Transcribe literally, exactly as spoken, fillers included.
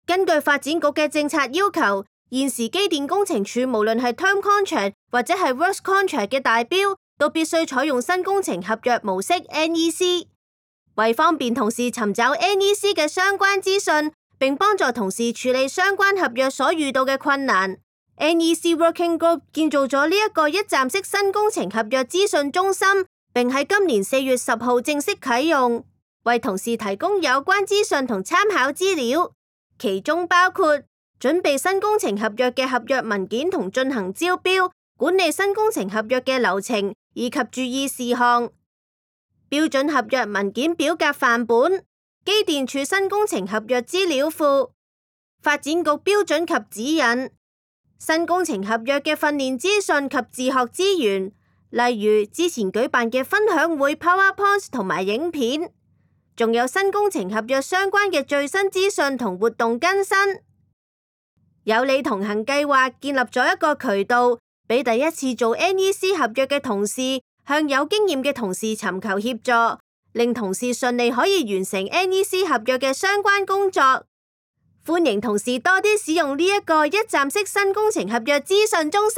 根據發展局嘅政策要求，現時機電工程署無論係 term contract 或者係 works contract 嘅大標，都必須採用新工程合約模式 N E C。為方便同事尋找 N E C 嘅相關資訊，並幫助同事處理相關合約所遇到嘅困難， N E C Working Group 建造咗呢一個一站式新工程合約資訊中心，並喺今年四月十號正式啟用，為同事提供有關資訊同參考資料，其中包括準備新工程合約嘅合約文件同進行招標，管理新工程合約嘅流程以及注意事項，標準合約文件表格範本、機電署新工程合約資料庫、發展局標準及指引、新工程合約嘅訓練資訊及自學資源，例如之前舉辦嘅分享會 PowerPoint 同埋影片，仲有新工程合約相關嘅最新資訊同活動更新。有你同行計劃建立咗一個渠道，俾第一次做 N E C 合約嘅同事向有經驗嘅同事尋求協助，令同事順利可以完成 N E C 合約嘅相關工作。歡迎同事多啲使用呢一個一站式新工程合約資訊中心。